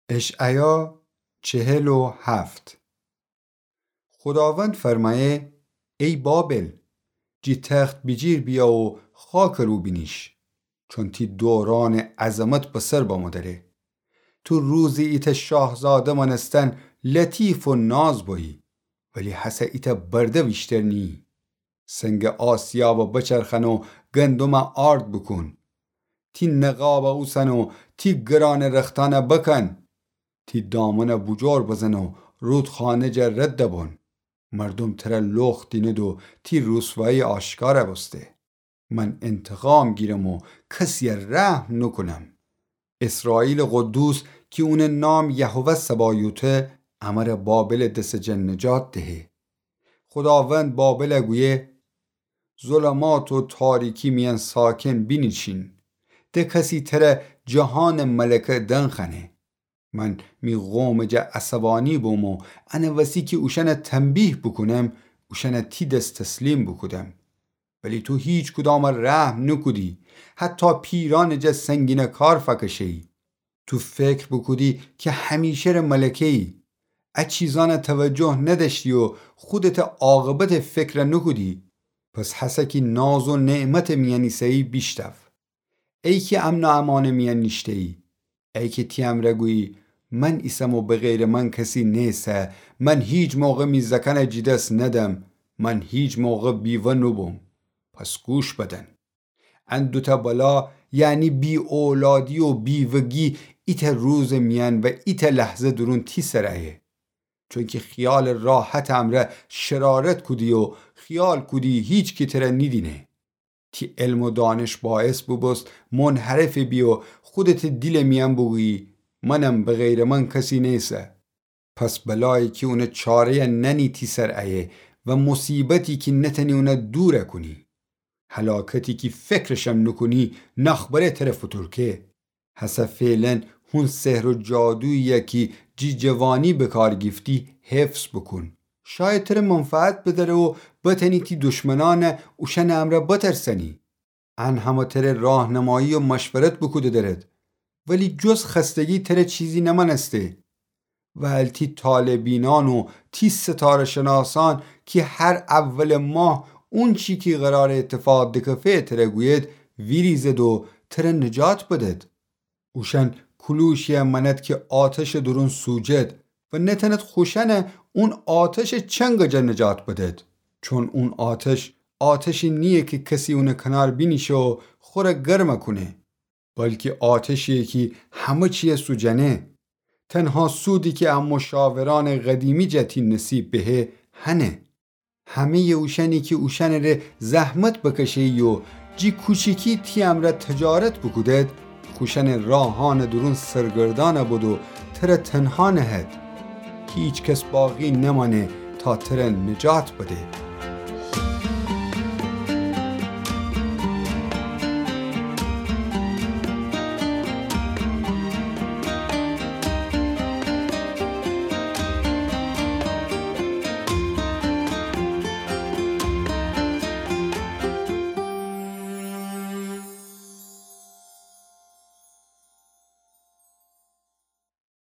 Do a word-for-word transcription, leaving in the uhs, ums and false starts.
اشعیا چهل و هفت. خوداوند فرمأیه: ای بابل، جی تخت بیجیر بییا و خاکٚ رو بینیش، چون تی دورانٚ عظمت به سر بمو دره. تو روزی ایتأ شاهزاده مأنستن لطیف و ناز بویی، ولی هسه ایتأ برده ویشتر نییی. سنگٚ آسیابَ بچرخأن و گندمَ آرد بوکون. تی نقابَ اوسن و تی گرانٚ رختأنَ بکن. تی دامنَ بوجور بزن و رودخانه جا رد بون. مردوم ترَ لخت دینید و تی روسوایی آشکارَ بوسته. من انتقام گیرم و کسیَ رحم نوکونم. اسرائیلٚ قدوس کی اونٚ نام یهوه سبایوته، امرَ بابلٚ دسٚ جا نجات دهه. خوداوند بابلَ گویه: ظلمات و تاریکی میأن ساکن بینیشین. ده کسی ترَ جهانٚ ملکه دنخأنه. من می قومٚ جا عصبانی بوم و انٚ وسی کی اوشأنَ تنبیه بوکونم، اوشأنَ تی دس تسلیم بوکودم. ولی تو هیچ کدامَ رحم نوکودی، حتی پیرأنٚ جا سنگینٚ کار فأکشه‌یی. تو فکر بوکودی کی همیشه‌ره ملکه‌یی. ا چیزأنَ توجه ندأشتی و خودتٚ عاقبتٚ فکرَ نوکودی. پس هسه کی ناز و نعمتٚ میأن ایسه‌یی بیشتو. ای کی امن و امانٚ میأن نیشته‌یی، ای کی تی امرأ گویی: من ایسم و به غیرٚ من کسی نیسه، من هیچ موقع می زأکأنَ جی دس ندم، من هیچ موقع بیوه نوبوم. پس گوش بدن. ان دوتأ بلا، یعنی بی‌اولادی و بیوه‌گی، ایتأ روزٚ میأن و ایتأ لحظه دورون تی سر ایه. چونکی خیالٚ راحتٚ امرأ شرارت کودی و خیال کودی هیچکی ترَ نیدینه. تی علم و دانش باعث بوبوست منحرف بی و خودتٚ دیلٚ میأن بوگویی: منم، به غیرٚ من کسی نیسه. پس بلایی کی اونٚ چاره‌یَ نأنی تی سر ایه و مصیبتی کی نتأنی اونَ دورَ کونی. هلاکتی کی فکرشم نوکونی، ناخبره ترَ فوتورکه. هسه فعلاً هون سحر و جادویی‌یَ کی جی جوانی به کار گیفتی حفظ بوکون. شاید ترَ منفعت بدأره و بتأنی تی دشمنأنَ اوشأنٚ امرأ بترسأنی. ان همه ترَ راهنمایی و مشورت بوکوده دأرد، ولی جز خستگی ترَ چیزی نمأنسته. ول تی طالع‌بینأن و تی ستاره‌شناسأن کی هر اولٚ ماه اونچی کی قرارٚ اتفاق دکفه ترَ گوید، ویریزد و ترَ نجات بدد. اوشأن کلوشی‌یَ مأند کی آتشٚ دورون سوجد و نتأند خوشأنَ اون آتشٚ چنگٚ جا نجات بدد. چون اون آتش، آتشی نییه کی کسی اونٚ کنار بینیشه و خورَ گرمَ کونه، بلکی آتشییه کی همه چیَ سوجأنه. تنها سودی کی ا مشاورأنٚ قدیمی جا تی نصیب بهه، هنه. همه‌یٚ اوشأنی کی اوشأنٚره زحمت بکشه‌یی و جی کوچیکی تی امرأ تجارت بوکودد، خوشأنٚ راهأنٚ دورون سرگردأنَ بد و ترَ تنها نهد. هیچ کس باقی نمأنه تا ترَ نجات بده.